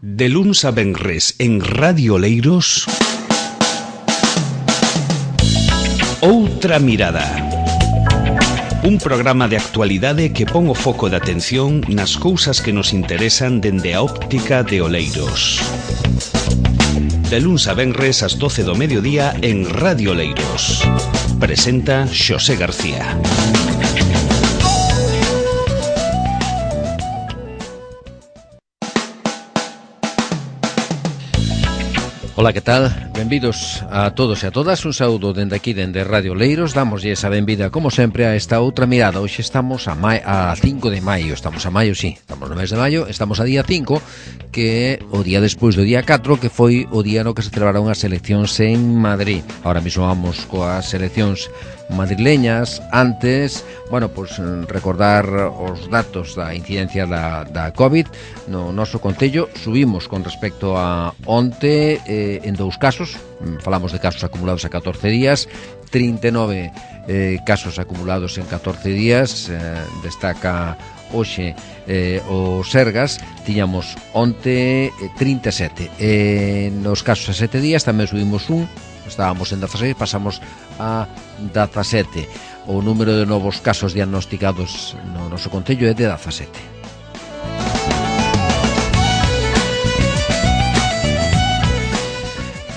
De luns a venres en Radio Oleiros, Outra Mirada. Un programa de actualidade que pon o foco de atención nas cousas que nos interesan dende a óptica de Oleiros. De luns a venres ás 12 do mediodía en Radio Oleiros. Presenta Xosé García. Ola, que tal? Benvidos a todos e a todas. Un saúdo dende aquí, dende Radio Oleiros. Damoslle esa benvida, como sempre, a esta outra mirada. Hoxe estamos a 5 de maio. Estamos a maio, sí. Estamos no mes de maio. Estamos a día 5, que é o día despois do día 4, que foi o día no que se celebraron as eleccións en Madrid. Ahora mismo vamos coas eleccións madrileñas. Antes, bueno, pues recordar os datos da incidencia da COVID no noso concello. Subimos con respecto a onte en 2 casos. Falamos de casos acumulados a 14 días, 39 casos acumulados en 14 días. Destaca hoxe o Sergas. Tiñamos onte 37. Nos casos a 7 días tamén subimos un. Estábamos en 16, pasamos a 17. O número de novos casos diagnosticados no noso concello é de 17.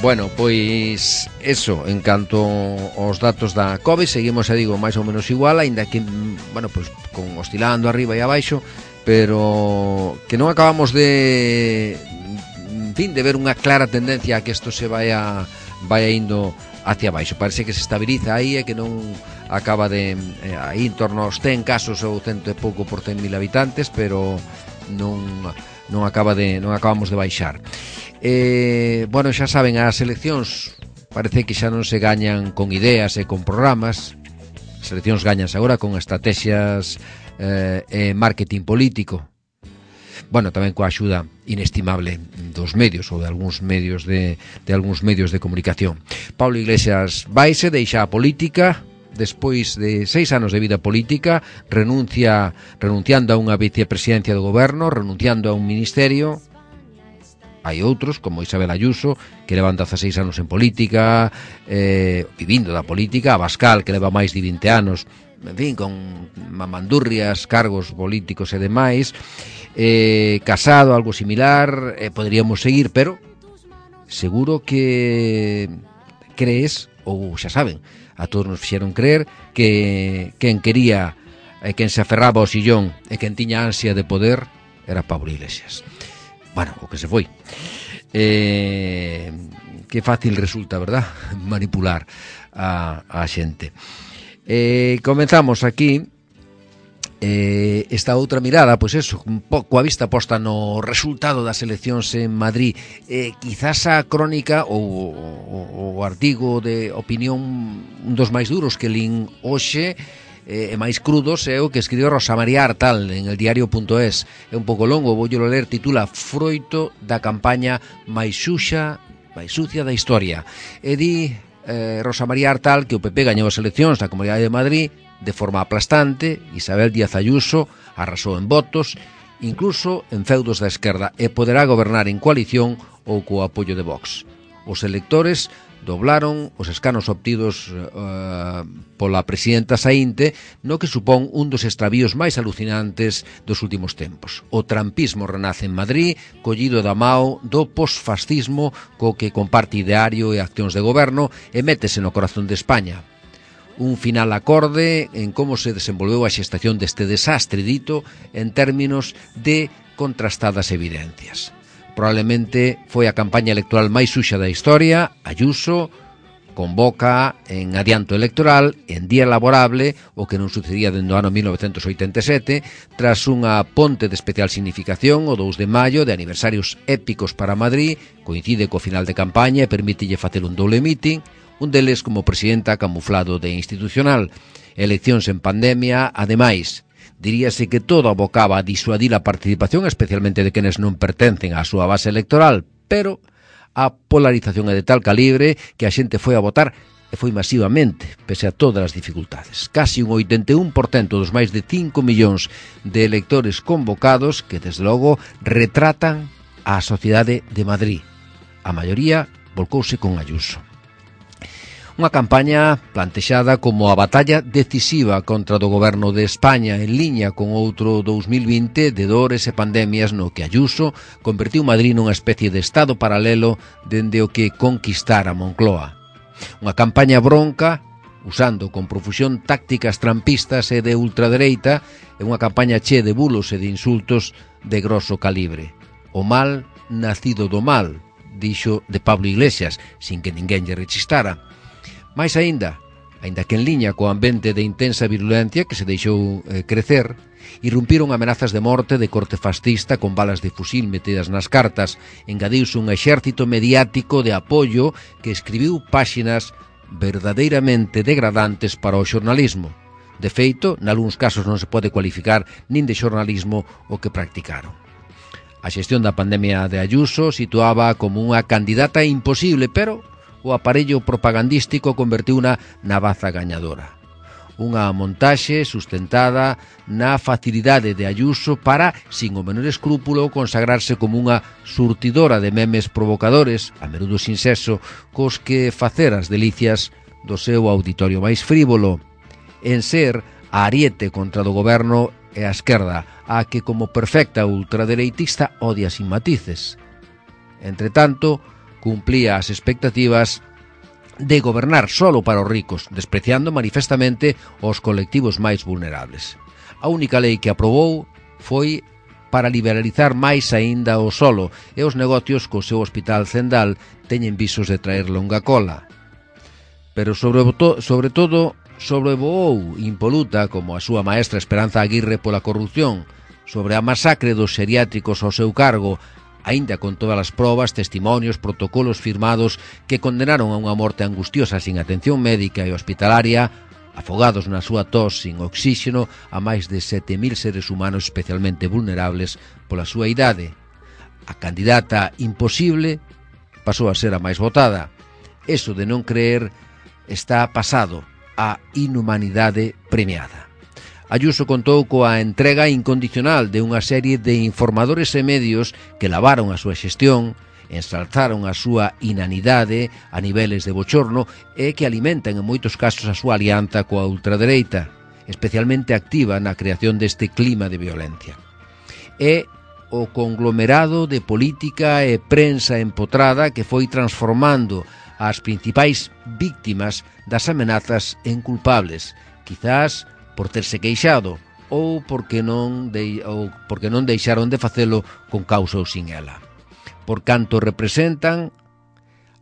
Bueno, pois eso, en canto aos datos da COVID, seguimos, digo, máis ou menos igual, aínda que, bueno, pois con oscilando arriba e abaixo, pero que non acabamos de, en fin, de ver unha clara tendencia a que isto se vaya indo hacia baixo. Parece que se estabiliza aí e que non acaba de aí en torno aos 100 casos ou 100 e pouco por 100.000 habitantes, pero non acabamos de baixar. Bueno, xa saben, as eleccións parece que xa non se gañan con ideas e con programas. As eleccións gañanse agora con estrategias e marketing político. Bueno, tamén coa axuda inestimable dos medios ou de algúns medios de comunicación. Pablo Iglesias vaise, deixa a política despois de 6 anos de vida política, renunciando a unha vicepresidencia do goberno, renunciando a un ministerio. Hai outros, como Isabel Ayuso, que levan 16 anos en política, vivindo da política, Abascal, que leva máis de 20 anos, en fin, con mamandurrias, cargos políticos e demais. Casado, algo similar, podríamos seguir, pero seguro que crees, ou xa saben, a todos nos fixeron creer que quen quería e quen se aferraba ao sillón e quen tiña ansia de poder era Pablo Iglesias. Bueno, o que se foi. Que fácil resulta, verdad? Manipular a xente. Comenzamos aquí esta outra mirada, pois eso, un pouco a vista posta no resultado das eleccións en Madrid. Quizás a crónica ou o artigo de opinión, un dos máis duros que lín hoxe e máis crudos, é o que escribiu Rosa María Artal en el diario.es. É un pouco longo, voullelo ler. Titula Froito da campaña máis sucia da historia. E di Rosa María Artal que o PP gañou as eleccións na Comunidade de Madrid de forma aplastante. Isabel Díaz Ayuso arrasou en votos, incluso en feudos da esquerda, e poderá gobernar en coalición ou co apoio de Vox. Os electores doblaron os escanos obtidos pola presidenta saínte, no que supón un dos extravíos máis alucinantes dos últimos tempos. O trampismo renace en Madrid, collido da mao do posfascismo co que comparte ideario e accións de goberno, e métese no corazón de España. Un final acorde en como se desenvolveu a xestación deste desastre dito en términos de contrastadas evidencias. Probablemente foi a campaña electoral máis suxa da historia. Ayuso convoca en adianto electoral, en día laborable, o que non sucedía dende o ano 1987, tras unha ponte de especial significación, o 2 de maio, de aniversarios épicos para Madrid, coincide co final de campaña e permítelle facer un doble meeting, un deles como presidenta camuflado de institucional. Eleccións en pandemia, ademais. Diríase que todo abocaba a disuadir a participación, especialmente de quenes non pertencen á súa base electoral, pero a polarización é de tal calibre que a xente foi a votar e foi masivamente, pese a todas as dificultades. Casi un 81% dos máis de 5 millóns de electores convocados que, desde logo, retratan á sociedade de Madrid. A maioría volcouse con Ayuso. Unha campaña plantexada como a batalla decisiva contra do goberno de España, en liña con outro 2020 de dores e pandemias no que Ayuso convertiu Madrid nunha especie de estado paralelo dende o que conquistara Moncloa. Unha campaña bronca, usando con profusión tácticas trampistas e de ultradereita, e unha campaña che de bulos e de insultos de grosso calibre. O mal nacido do mal, dixo de Pablo Iglesias, sin que ninguén lle rechistara. Mais aínda que en liña co ambiente de intensa virulencia que se deixou crecer, irrumpiron amenazas de morte de corte fascista con balas de fusil metidas nas cartas, engadiuse un exército mediático de apoio que escribiu páxinas verdadeiramente degradantes para o xornalismo. De feito, nalgúns casos non se pode cualificar nin de xornalismo o que practicaron. A xestión da pandemia de Ayuso situaba como unha candidata imposible, pero o aparello propagandístico convertiuna na baza gañadora. Unha montaxe sustentada na facilidade de Ayuso para, sin o menor escrúpulo, consagrarse como unha surtidora de memes provocadores, a menudo sin sexo, cos que facer as delicias do seu auditorio máis frívolo, en ser a ariete contra do goberno e a esquerda, a que como perfecta ultradereitista odia sin matices. Entre tanto, cumplía as expectativas de gobernar solo para os ricos, despreciando manifestamente os colectivos máis vulnerables. A única lei que aprobou foi para liberalizar máis aínda o solo, e os negocios co seu hospital Zendal teñen visos de traer longa cola. Pero sobre todo sobrevoou impoluta como a súa maestra Esperanza Aguirre pola corrupción, sobre a masacre dos xeriátricos ao seu cargo, aínda con todas as probas, testimonios, protocolos firmados que condenaron a unha morte angustiosa sin atención médica e hospitalaria, afogados na súa tos sin oxíxeno a máis de 7.000 seres humanos especialmente vulnerables pola súa idade. A candidata imposible pasou a ser a máis votada. Eso de non creer está pasado, a inhumanidade premiada. Ayuso contou coa entrega incondicional de unha serie de informadores e medios que lavaron a súa xestión, ensalzaron a súa inanidade a niveles de bochorno e que alimentan en moitos casos a súa alianza coa ultradereita, especialmente activa na creación deste clima de violencia. É o conglomerado de política e prensa empotrada que foi transformando as principais víctimas das amenazas en culpables, quizás por terse queixado ou porque non deixaron de facelo con causa ou sin ela. Por canto representan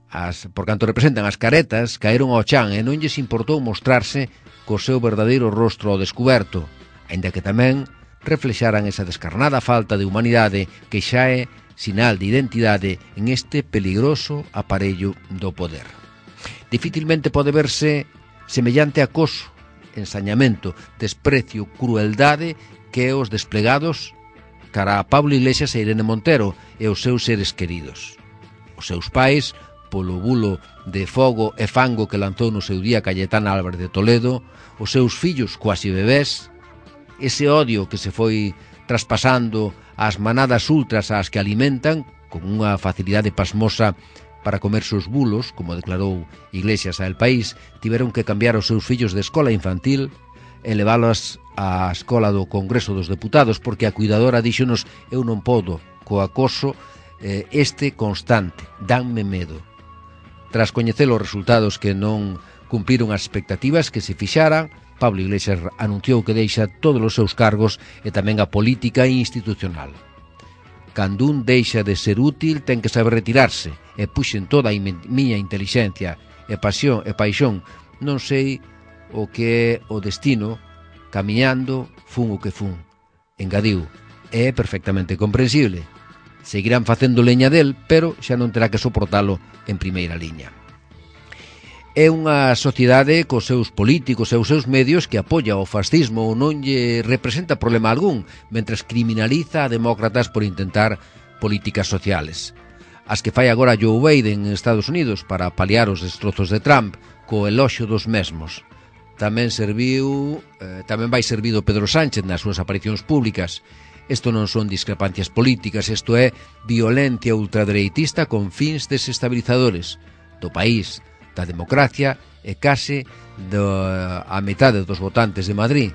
as caretas, caeron ao chan e non lles importou mostrarse co seu verdadeiro rostro ao descuberto, aínda que tamén reflexaran esa descarnada falta de humanidade que xa é sinal de identidade en este peligroso aparello do poder. Dificilmente pode verse semellante acoso, ensañamento, desprecio, crueldade que os desplegados cara a Pablo Iglesias e Irene Montero e os seus seres queridos. Os seus pais, polo bulo de fogo e fango que lanzou no seu día Cayetana Álvarez de Toledo, os seus fillos cuasi bebés, ese odio que se foi traspasando ás manadas ultras ás que alimentan con unha facilidade pasmosa para comerse os bulos, como declarou Iglesias a El País, tiveron que cambiar os seus fillos de escola infantil e leválos á escola do Congreso dos Deputados, porque a cuidadora díxonos: eu non podo co acoso este constante, danme medo. Tras coñecer os resultados que non cumpriron as expectativas que se fixaran, Pablo Iglesias anunciou que deixa todos os seus cargos e tamén a política institucional. Cando un deixa de ser útil, ten que saber retirarse, e puxen toda a miña intelixencia e paixón, non sei o que é o destino, camiñando fun o que fun. Engadiu, é perfectamente comprensible. Seguirán facendo leña del, pero xa non terá que soportalo en primeira liña. É unha sociedade cos seus políticos e os seus medios que apoia o fascismo ou non lle representa problema algún, mentres criminaliza a demócratas por intentar políticas sociales. As que fai agora Joe Biden en Estados Unidos para paliar os destrozos de Trump co eloxio dos mesmos. Tamén vai servido Pedro Sánchez nas súas aparicións públicas Isto non son discrepancias políticas, isto é violencia ultradereitista con fins desestabilizadores do país, da democracia e case a metade dos votantes de Madrid.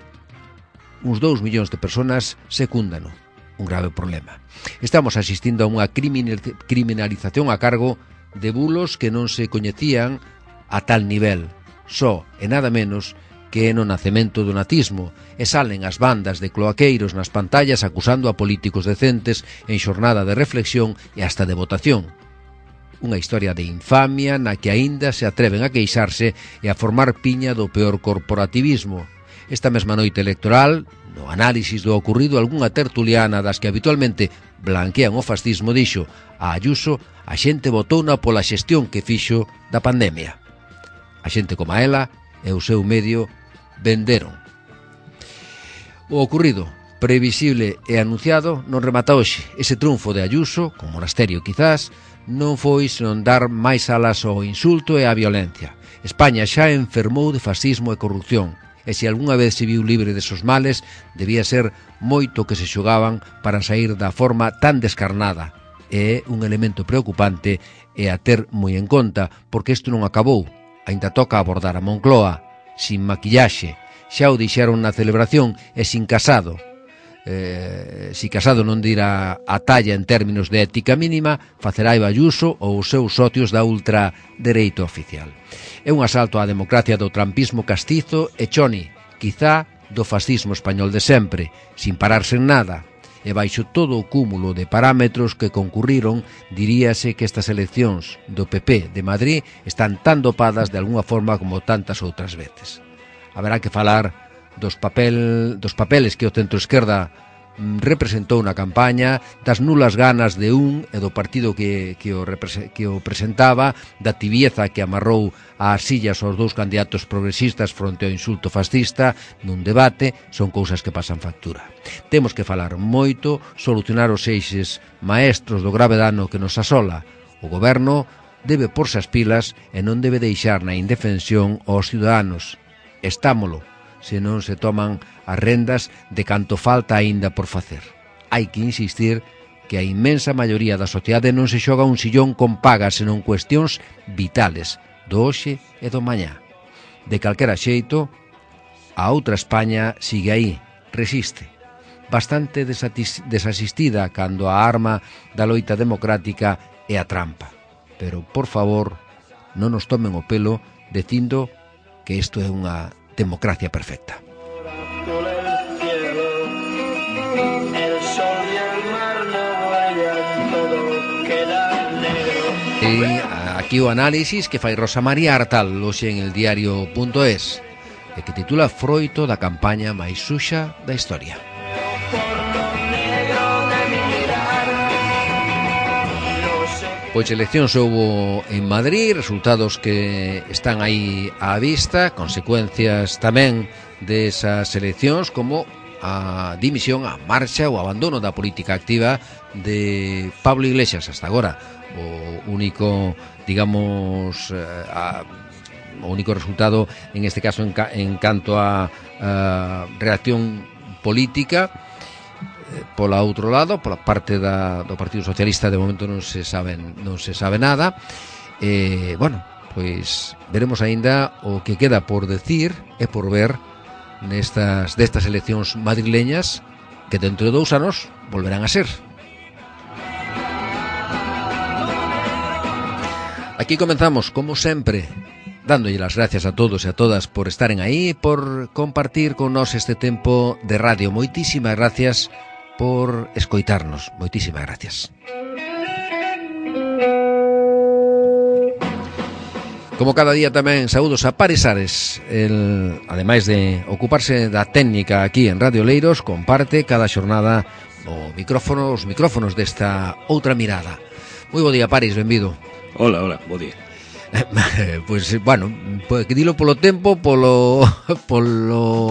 Uns 2 millóns de persoas secúndano, un grave problema. Estamos asistindo a unha criminalización a cargo de bulos que non se coñecían a tal nivel, só e nada menos que no nacemento do nazismo, e salen as bandas de cloaqueiros nas pantallas acusando a políticos decentes en xornada de reflexión e hasta de votación. Unha historia de infamia na que aínda se atreven a queixarse e a formar piña do peor corporativismo. Esta mesma noite electoral, no análisis do ocurrido, algunha tertuliana das que habitualmente blanquean o fascismo dixo a Ayuso: a xente votouna pola xestión que fixo da pandemia. A xente como a ela e o seu medio venderon. O ocurrido, previsible e anunciado, non remata hoxe. Ese triunfo de Ayuso, con Monasterio quizás, non foi senón dar máis alas ao insulto e á violencia. España xa enfermou de fascismo e corrupción, e se algunha vez se viu libre desos males, debía ser moito que se xogaban para sair da forma tan descarnada. É un elemento preocupante e a ter moi en conta, porque isto non acabou. Ainda toca abordar a Moncloa, sin maquillaxe. Xa o dixeron na celebración e sin Casado. Si Casado non dira a talla en términos de ética mínima, facerá Ayuso ou os seus socios da ultradereita oficial. É un asalto á democracia do trampismo castizo e choni, quizá do fascismo español de sempre, sin pararse en nada. E baixo todo o cúmulo de parámetros que concurriron, diríase que estas eleccións do PP de Madrid están tan dopadas de algunha forma como tantas outras veces. Haberá que falar dos papeles que o centro-esquerda representou na campaña, das nulas ganas de un e do partido que o presentaba, da tibieza que amarrou ás sillas aos 2 candidatos progresistas fronte ao insulto fascista nun debate. Son cousas que pasan factura. Temos que falar moito, solucionar os eixes maestros do grave dano que nos asola. O goberno debe porse as pilas e non debe deixar na indefensión aos ciudadanos. Estámolo, se non se toman as rendas de canto falta aínda por facer. Hai que insistir que a inmensa maioría da sociedade non se xoga un sillón con pagas, senón cuestións vitales do hoxe e do mañá. De calquera xeito, a outra España sigue aí, resiste. Bastante desasistida cando a arma da loita democrática é a trampa. Pero, por favor, non nos tomen o pelo dicindo que isto é unha democracia perfecta. E aquí o análisis que fai Rosa María Artal hoxe en el diario.es e que titula Froito da campaña máis suxa da historia. Pois eleccións houbo en Madrid, resultados que están aí á vista, consecuencias tamén desas eleccións como a dimisión, a marcha ou abandono da política activa de Pablo Iglesias hasta agora. O único, digamos, o único resultado en este caso en canto a reacción política. Pola outro lado, pola parte do Partido Socialista, de momento non se sabe nada. Bueno, pois veremos aínda o que queda por decir e por ver destas eleccións madrileñas que dentro de 2 anos volverán a ser. Aquí comenzamos, como sempre, dándolle as gracias a todos e a todas por estaren aí, por compartir con nós este tempo de radio. Moitísimas gracias por escoitarnos. Moitísimas gracias. Como cada día tamén saúdos a Paris Ares, ademais de ocuparse da técnica aquí en Radio Leiros, comparte cada xornada os micrófonos desta outra mirada. Moi bo día, Paris, benvido. Hola, bo día. Pois, bueno, que dilo polo tempo, polo,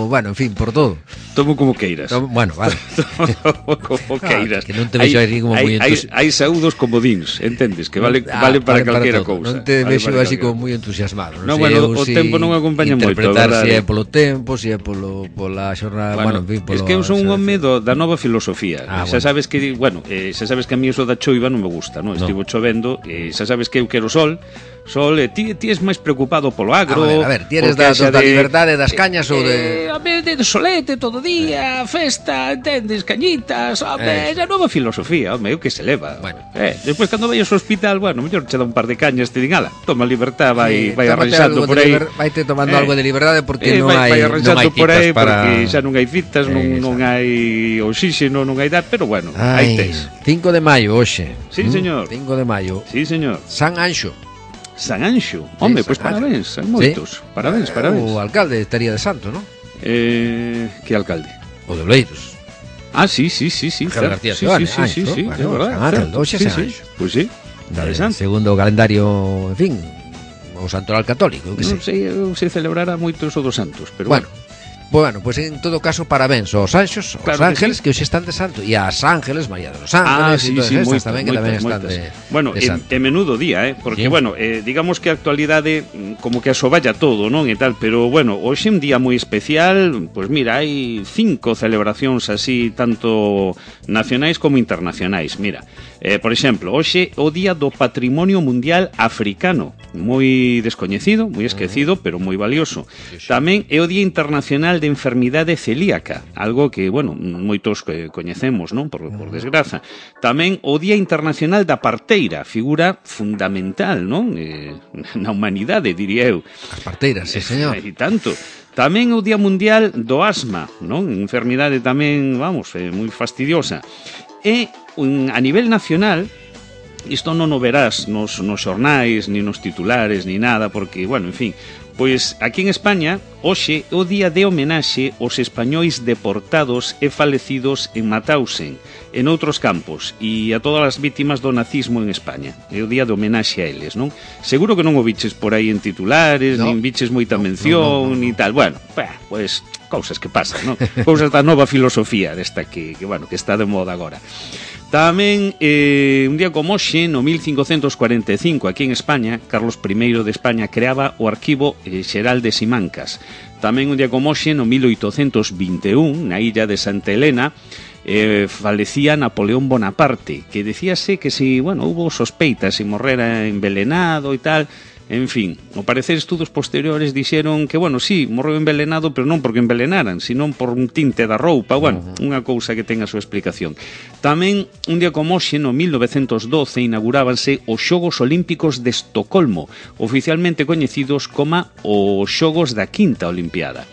bueno, en fin, por todo. Tomo como queiras. Bueno, vale. Tomo como queiras. Que non te vexo así como moi entusiasmado. Hai saúdos comodíns, entendes? Que vale para calquera cousa. Non te vexo así como moi entusiasmado. Non, bueno, o tempo non acompaña moito, interpretar se é polo tempo, se é pola xornada, bueno, en fin, es que eu son un home da nova filosofía. Xa sabes que, bueno, xa sabes que a mí eso da choiva non me gusta, non? Estivo chovendo, xa sabes que eu quero sol, ti és máis preocupado polo agro. A ver, ti eres da liberdade das cañas ou de... A ver, de solete todo día, festa, entendes, cañitas, home, é a nova filosofía, home, o que se leva. Bueno. Despois cando vayas ao hospital, bueno, mellor che dá un par de cañas, te din, ala, toma libertad, vai arranxando por aí. Vaite tomando algo de liberdade porque non hai citas para... Porque xa non hai citas, non hai oxígeno, non hai pero bueno, aí tes. 5 de maio, hoxe. Sí, señor. 5 de maio. Sí, señor. San Anxo. San Anxo. Home, pois parabéns, hai moitos. Parabéns. O alcalde estaría de santo, non? Que alcalde? O de Oleiros. Sí. García Seoane, sí, é verdade. Hoxe San Anxo. Pois sí, interesante. Segundo o calendario, en fin, o santoral católico, que non sei se celebrará moitos o dos santos, pero bueno, pues en todo caso, parabéns aos anxos, aos ángeles que hoxe están de santo, e ás ángeles, María de los Ángeles, e todas estas tamén que tamén están de bueno, santo. É menudo día, porque, bueno, digamos que a actualidade como que asovalla todo, non, e tal, pero, bueno, hoxe un día moi especial, pues mira, hai 5 celebracións así, tanto nacionais como internacionais, mira. Por exemplo, hoxe o Día do Patrimonio Mundial Africano, moi descoñecido, moi esquecido, pero moi valioso. Tamén é o Día Internacional de Enfermidade Celíaca, algo que, bueno, moitos coñecemos, non? Por desgraza. Tamén o Día Internacional da Parteira, figura fundamental, non? Na humanidade, diría eu. As parteiras, sí, señor. E tanto. Tamén o Día Mundial do Asma, non? Enfermidade tamén, vamos, moi fastidiosa. E a nivel nacional, isto non o verás nos xornais, ni nos titulares, ni nada, porque, bueno, en fin, pois aquí en España, hoxe é o día de homenaxe aos españois deportados e falecidos en Mauthausen, en outros campos, e a todas as vítimas do nazismo en España. É o día de homenaxe a eles, non? Seguro que non o viches por aí en titulares, nin viches moita mención, ni tal. Bueno, pois cousas que pasan, non? Cousas da nova filosofía desta que bueno, que está de moda agora. Tamén, un día como hoxe, no 1545, aquí en España, Carlos I de España creaba o Arquivo Xeral de Simancas. Tamén un día como hoxe, no 1821, na illa de Santa Helena, falecía Napoleón Bonaparte, que decíase que si, bueno, hubo sospeitas se morrera envenenado e tal. En fin, ao parecer estudos posteriores dixeron que, bueno, sí, morreu envenenado, pero non porque envenenaran, sino por un tinte da roupa, bueno, unha cousa que ten a súa explicación. Tamén, un día como hoxe, no 1912, inaugurábanse os Xogos Olímpicos de Estocolmo, oficialmente coñecidos como os Xogos da Quinta Olimpiada.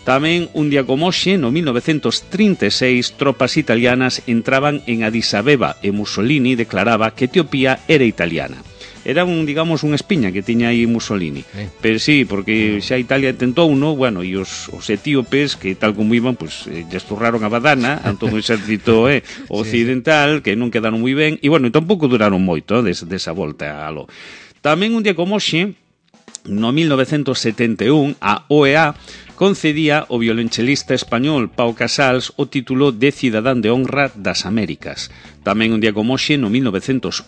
Tamén, un día como hoxe, no 1936, tropas italianas entraban en Addis Abeba e Mussolini declaraba que Etiopía era italiana. Era digamos, unha espiña que tiña aí Mussolini. Pero sí, porque xa Italia tentou uno, bueno, e os etíopes, que tal como iban, pues, lle esturraron a badana a todo o exército occidental, que non quedaron moi ben, e bueno, tampouco duraron moito desa volta alo. Tamén un día como hoxe, no 1971, a OEA concedía ao violonchelista español Pau Casals o título de Cidadán de Honra das Américas. Tamén un día como hoxe, no 1987,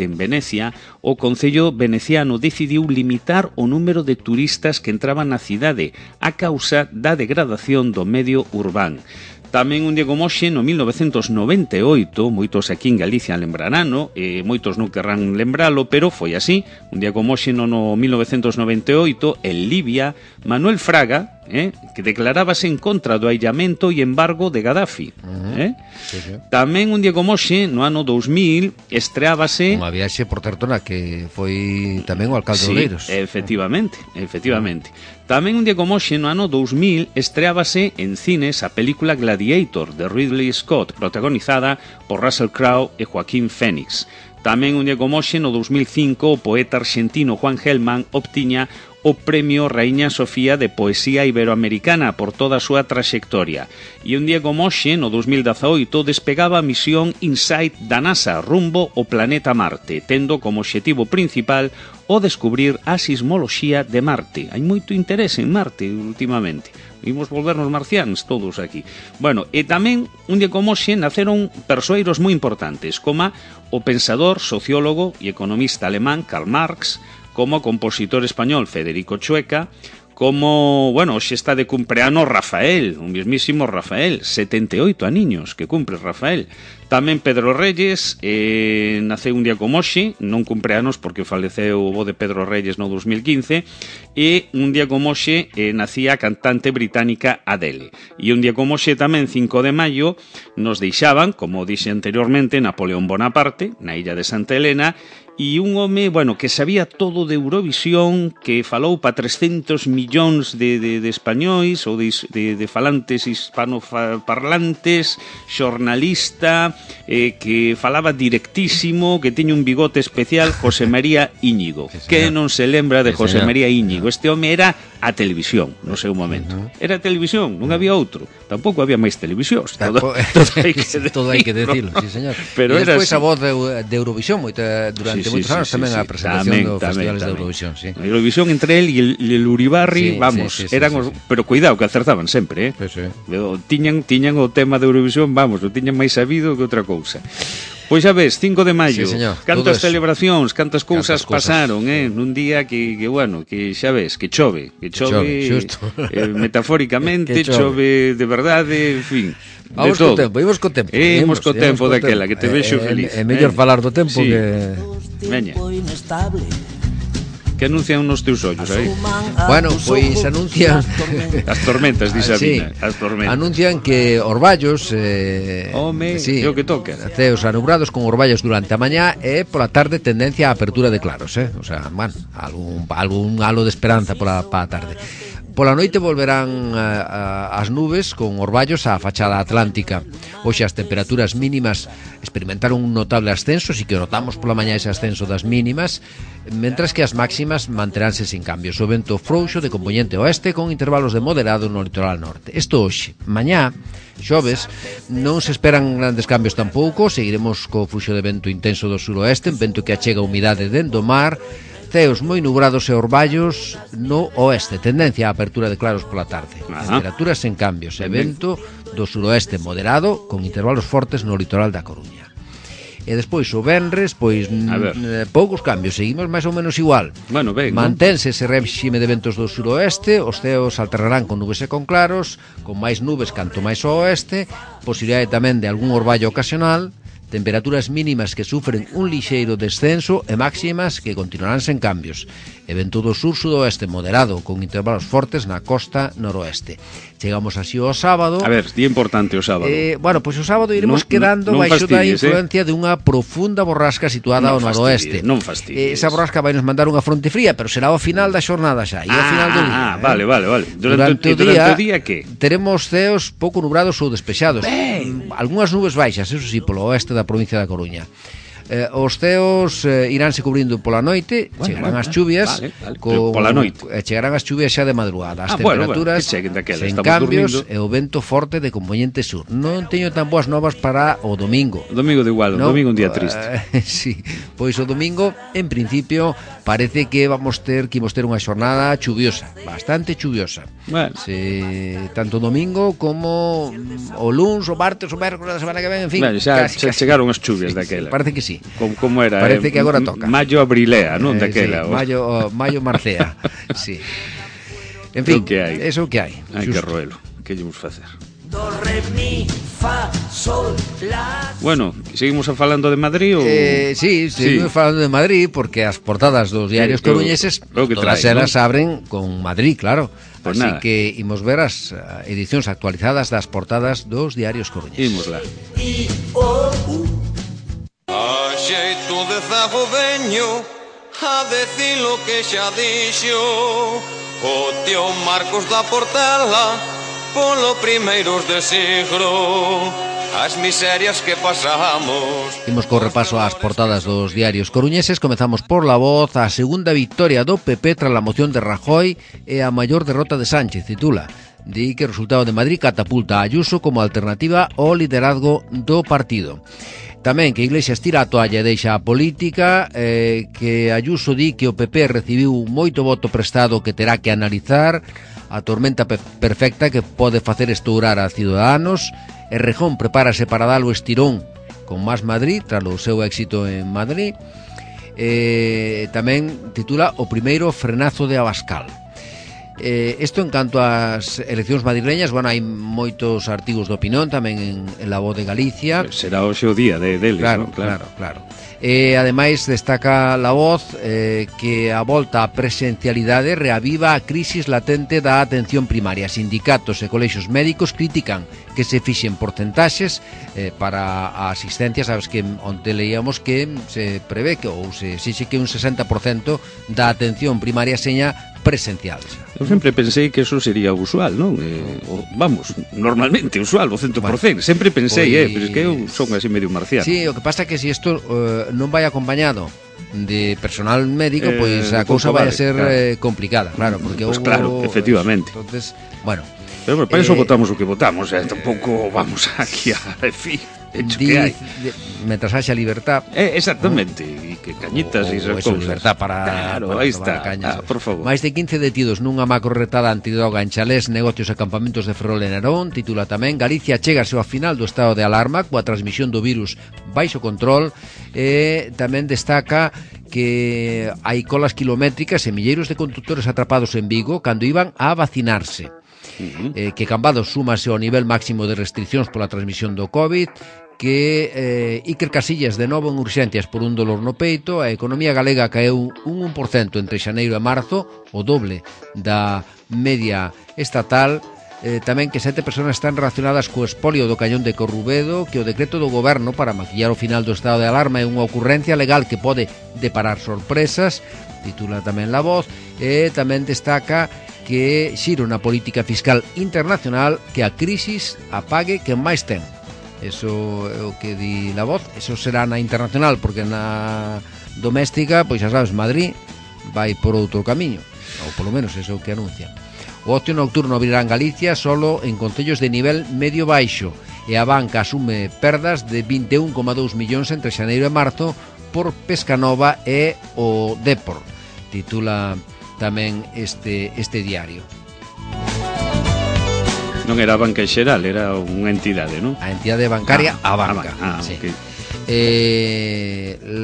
en Venecia, o Concello veneciano decidiu limitar o número de turistas que entraban na cidade a causa da degradación do medio urbán. Tamén un día como hoxe, no 1998, moitos aquí en Galicia lembrarano, moitos non querrán lembralo, pero foi así. Un día como hoxe, no 1998, en Libia, Manuel Fraga, que declarábase en contra do aillamento e embargo de Gaddafi. Tamén un día como hoxe, no ano 2000, estreábase... Unha viaxe por certo na que foi tamén o alcalde de Oleiros. Efectivamente. Tamén un día como hoxe, no ano 2000, estreábase en cines a película Gladiator, de Ridley Scott, protagonizada por Russell Crowe e Joaquín Phoenix. Tamén un día como hoxe, no 2005, o poeta argentino Juan Gelman obtiña o Premio Raíña Sofía de Poesía Iberoamericana por toda a súa traxectoria. E un día como hoxe, no 2018, despegaba a misión InSight da NASA rumbo ao planeta Marte, tendo como obxectivo principal o descubrir a sismoloxía de Marte. Hai moito interese en Marte últimamente. Imos volvernos marcianos todos aquí. Bueno, e tamén, un día como hoxe, naceron persoeiros moi importantes, como o pensador, sociólogo e economista alemán Karl Marx, como o compositor español Federico Chueca, como, bueno, hoxe está de cumpleanos Rafael, un mismísimo Rafael, 78 aniños que cumpre Rafael. Tamén Pedro Reyes, naceu un día como hoxe, non cumpleanos porque faleceu o bo de Pedro Reyes no 2015, e un día como hoxe nacía a cantante británica Adele. E un día como hoxe tamén, 5 de maio, nos deixaban, como dixe anteriormente, Napoleón Bonaparte, na illa de Santa Elena, e un home, bueno, que sabía todo de Eurovisión, que falou pa 300 millóns de españois ou de falantes hispanoparlantes, xornalista, que falaba directísimo, que tiña un bigote especial, José María Íñigo. Sí, que non se lembra de José María Íñigo? Este home era a televisión no seu momento. Era a televisión, non había outro. Tampouco había máis televisións. Todo hai que decirlo, sí, señor. Pero e despois a voz de Eurovisión durante moitos anos tamén a presentación do festivales de Eurovisión, sí. Eurovisión entre él e el Uribarri, vamos, eran os, pero cuidado que acertaban sempre, tiñan o tema de Eurovisión, vamos, o tiñan máis sabido que outra cousa. Pois xa ves, 5 de maio, cantas celebracións, cantas cousas pasaron, nun día que bueno, que xa ves, que chove metafóricamente, chove de verdade, en fin. Vamos co tempo, imos co tempo daquela, que te vexo feliz. É mellor falar do tempo que... Veña. Que anuncian nos teus ollos aí? Bueno, pois anuncian as tormentas, di Sabina, as tormentas. Anuncian que orballos o que toca. Ceos anubrados con orballos durante a mañá e pola tarde tendencia a apertura de claros, O sea, bueno, algún halo de esperanza pola tarde. Pola noite volverán as nubes con orballos á fachada atlántica. Hoxe as temperaturas mínimas experimentaron un notable ascenso, si que notamos pola mañá ese ascenso das mínimas, mentras que as máximas manteránse sin cambios. O vento frouxo de compoñente oeste con intervalos de moderado no litoral norte. Isto hoxe. Mañá, xoves, non se esperan grandes cambios tampouco, seguiremos co fluxo de vento intenso do suroeste, vento que achega humidade dentro do mar, ceos moi nubrados e orballos no oeste, tendencia á apertura de claros pola tarde. Temperaturas sen cambios e vento do suroeste moderado con intervalos fortes no litoral da Coruña. E despois o venres, pois poucos cambios, seguimos máis ou menos igual. Bueno, ben, mantense ese réxime de ventos do suroeste, os ceos alternarán con nubes e con claros, con máis nubes canto máis ao oeste, posibilidade tamén de algún orballo ocasional, temperaturas mínimas que sufren un lixeiro descenso e máximas que continuarán sen cambios. E vento do sur-sudoeste moderado con intervalos fortes na costa noroeste. Chegamos así ao sábado. A ver, día importante o sábado. Bueno, pois o sábado iremos quedando baixo da influencia de unha profunda borrasca situada ao noroeste. Non fastidies. Esa borrasca vai nos mandar unha fronte fría, pero será ao final da xornada xa, e ao final do día. Vale. Durante o día que? Teremos ceos pouco nubrados ou despexados. Algúnas nubes baixas, eso sí, polo oeste da provincia da Coruña. Os ceos iránse cubrindo pola noite, chegarán as chuvias pola noite. Chegarán as chuvias xa de madrugada. As temperaturas sen cambios e o vento forte de componente sur. Non teño tan boas novas para o domingo. O domingo de igual, o domingo un día triste. Sí, pois o domingo, en principio, parece que imos ter unha xornada chuviosa, bastante chuviosa. Tanto o domingo como o luns, o martes, o mércoles da semana que ven, en fin. Xa chegaron as chuvias daquela. Parece que sí. Como era? Parece que agora toca. Maio abrilea, non? Daquela. Maio marcea. Sí. En fin, eso que hai. Hai que roelo. Que llevamos facer? Do, re, mi, fa, sol, la... Bueno, seguimos falando de Madrid ou... Sí, seguimos falando de Madrid porque as portadas dos diarios coruñeses todas elas abren con Madrid, claro. Así que imos ver as edicións actualizadas das portadas dos diarios coruñeses. Imos lá. A xeito de zago veño a decir lo que xa dixo o tío Marcos da Portela polo primeiros de siglo. as miserias que pasamos. Imos co repaso ás portadas dos diarios coruñeses. Comezamos por La Voz. A segunda victoria do PP tras a moción de Rajoy e a maior derrota de Sánchez, titula. Di que o resultado de Madrid catapulta a Ayuso como alternativa ao liderazgo do partido. Tamén que Iglesias tira a toalla e deixa a política, que Ayuso di que o PP recibiu moito voto prestado que terá que analizar, a tormenta perfecta que pode facer estourar a Ciudadanos, e Rejón prepárase para dar o estirón con Más Madrid, tras o seu éxito en Madrid. Tamén titula o primeiro frenazo de Abascal. Isto en canto ás eleccións madrileñas, bueno, hai moitos artigos de opinión tamén en La Voz de Galicia. Será hoxe o día deles, claro, ¿no? Claro. Ademais, destaca La Voz que a volta á presencialidade reaviva a crisis latente da atención primaria. Sindicatos e colexios médicos critican que se fixen porcentaxes para a asistencia. Sabes que onte leíamos que se prevé que ou se exixe que un 60% da atención primaria seña presencial. Eu sempre pensei que eso sería usual, non? Vamos, normalmente usual, o 100%. Bueno, sempre pensei, pero es que eu son así medio marciano. Sí, o que pasa é que se isto non vai acompañado de personal médico, pois a cousa vai a ser complicada, claro, porque pues claro, efectivamente. Entonces, bueno, pero para eso votamos o que votamos, tampouco vamos aquí a decir hecho que hai. Mentras haxa libertad. Exactamente, e que cañitas e esas cousas. Libertad para, claro, para aí está, por favor. Máis de 15 detidos nunha macro retada antidroga en chalés, negocios e campamentos de Ferrol e Narón. Titula tamén Galicia chégase ao final do estado de alarma coa transmisión do virus baixo control. Tamén destaca que hai colas kilométricas e milleiros de conductores atrapados en Vigo cando iban a vacinarse. Que Cambados súmase ao nivel máximo de restriccións pola transmisión do COVID, que Iker Casillas de novo en urxencias por un dolor no peito. A economía galega caeu un 1% entre xaneiro e marzo, o doble da media estatal. Tamén que 7 persoas están relacionadas co espolio do cañón de Corrubedo, que o decreto do goberno para maquillar o final do estado de alarma é unha ocurrencia legal que pode deparar sorpresas, titula tamén La Voz. E tamén destaca que xiro na política fiscal internacional, que a crisis apague quen máis ten. Eso é o que di La Voz. Eso será na internacional, porque na doméstica, pois xa sabes, Madrid vai por outro camiño, ou polo menos eso é o que anuncian. O ocio nocturno abrirá en Galicia solo en concellos de nivel medio baixo, e a banca asume perdas de 21,2 millóns entre xaneiro e marzo por Pescanova e o Depor, titula tamén este diario. Non era a banca en xeral, era unha entidade, non? A entidade bancaria, a banca. Sí. Okay.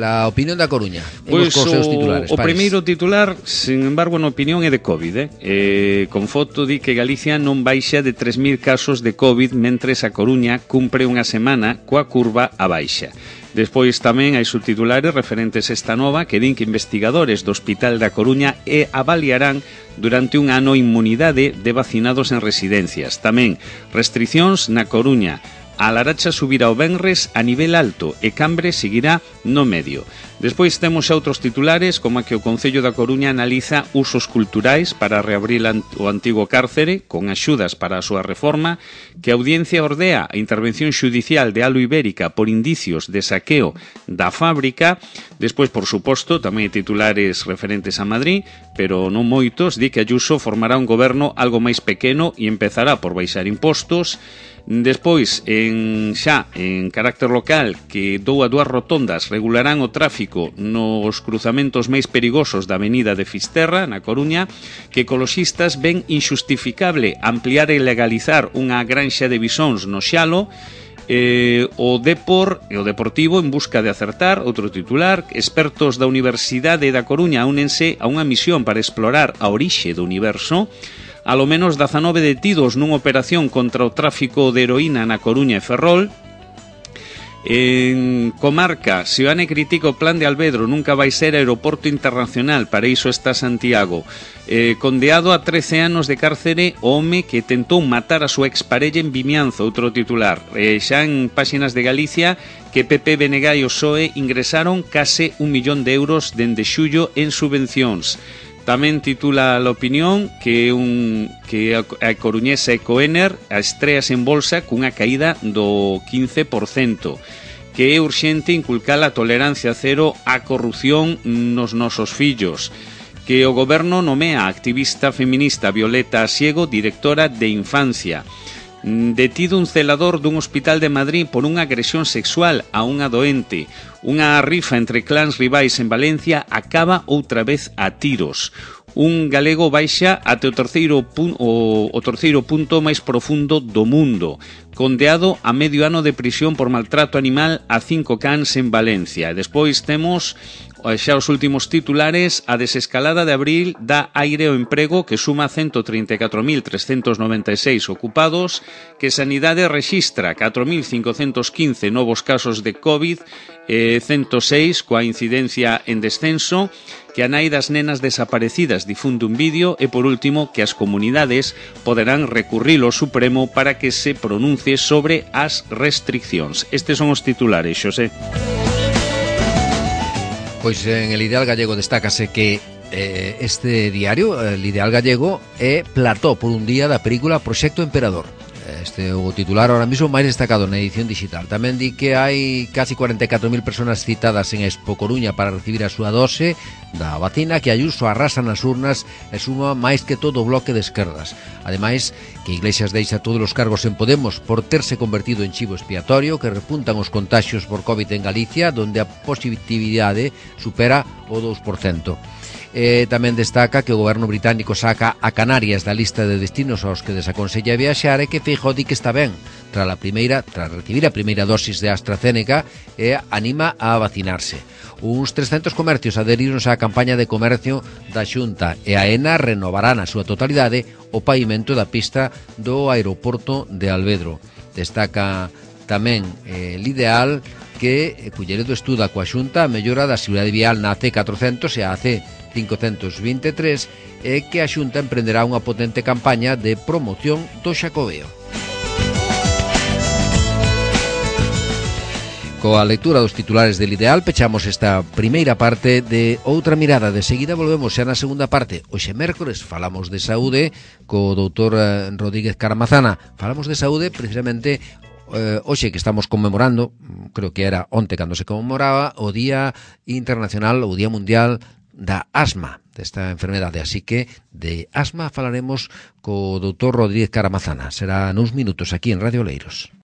La opinión da Coruña. Pois o primeiro titular, sin embargo, na opinión é de COVID. Con foto di que Galicia non baixa de 3.000 casos de COVID, mentres a Coruña cumpre unha semana coa curva a baixa. Despois tamén hai subtitulares referentes a esta nova que din que investigadores do Hospital da Coruña avaliarán durante un ano inmunidade de vacinados en residencias. Tamén restriccións na Coruña. A Laracha subirá o venres a nivel alto e Cambre seguirá no medio. Despois temos xa outros titulares, como a que o Concello da Coruña analiza usos culturais para reabrir o antigo cárcere con axudas para a súa reforma, que a Audiencia ordea a intervención xudicial de Alo Ibérica por indicios de saqueo da fábrica. Despois, por suposto, tamén hai titulares referentes a Madrid, pero non moitos. Di que Ayuso formará un goberno algo máis pequeno e empezará por baixar impostos. Despois, xa en carácter local, que dúas rotondas regularán o tráfico nos cruzamentos máis perigosos da avenida de Fisterra, na Coruña, que ecoloxistas ven injustificable ampliar e legalizar unha granxa de bisóns no Xalo. O Depor e o Deportivo en busca de acertar, outro titular. Expertos da Universidade da Coruña únense a unha misión para explorar a orixe do universo. Alo menos 19 detidos nunha operación contra o tráfico de heroína na Coruña e Ferrol. En Comarca, Seoane critica o plan de Alvedro, nunca vai ser aeroporto internacional, para iso está Santiago. Condeado a 13 anos de cárcere o home que tentou matar a súa exparella en Vimianzo, outro titular. Xa en páxinas de Galicia, que PP, BNG e o PSOE ingresaron case 1 millón de euros dende xullo en subvencións. Tamén titula a opinión que a coruñesa Ecoener estreas en bolsa cunha caída do 15%, que é urxente inculcar a tolerancia cero á corrupción nos nosos fillos, que o goberno nomea a activista feminista Violeta Asiego directora de Infancia. Detido un celador dun hospital de Madrid por unha agresión sexual a unha doente. Unha rifa entre clans rivais en Valencia acaba outra vez a tiros. Un galego baixa até o terceiro punto máis profundo do mundo. Condeado a medio ano de prisión por maltrato animal a 5 cans en Valencia. E despois temos xa os últimos titulares. A desescalada de abril dá aire ao emprego, que suma 134.396 ocupados, que Sanidade rexistra 4.515 novos casos de COVID, 106 coa incidencia en descenso, que a nai das nenas desaparecidas difunde un vídeo e, por último, que as comunidades poderán recurrir ao Supremo para que se pronuncie sobre as restriccións. Estes son os titulares, Xosé. Pois en El Ideal Gallego destácase que este diario, El Ideal Gallego, é plató por un día da película Proxecto Emperador. Este é o titular ahora mismo máis destacado na edición digital. Tamén di que hai casi 44.000 personas citadas en Expo Coruña para recibir a súa dose da vacina, que Ayuso arrasa nas urnas e suma máis que todo o bloque de esquerdas. Ademais, que Iglesias deixa todos os cargos en Podemos por terse convertido en chivo expiatorio, que repuntan os contaxios por COVID en Galicia, donde a positividade supera o 2%. Tamén destaca que o goberno británico saca a Canarias da lista de destinos aos que desaconsella viaxar e que Feijóo di que está ben tras recibir a primeira dosis de AstraZeneca e anima a vacinarse. Uns 300 comercios aderironse á campaña de comercio da Xunta e a ENA renovará na súa totalidade o pavimento da pista do aeroporto de Alvedro. Destaca tamén l'Ideal que Culleredo estuda coa Xunta a mellora da seguridade vial na AC400 e a AC523 e que a Xunta emprenderá unha potente campaña de promoción do Xacobeo. Coa lectura dos titulares del Ideal pechamos esta primeira parte de Outra Mirada. De seguida volvemos xa na segunda parte. Hoxe mércores falamos de saúde co doutor Rodríguez Caramazana. Falamos de saúde precisamente hoxe que estamos conmemorando, creo que era onte cando se conmemoraba o Día Internacional, o Día Mundial da asma, desta enfermedade, así que de asma falaremos co doutor Rodríguez Caramazana. Será nuns minutos aquí en Radio Oleiros.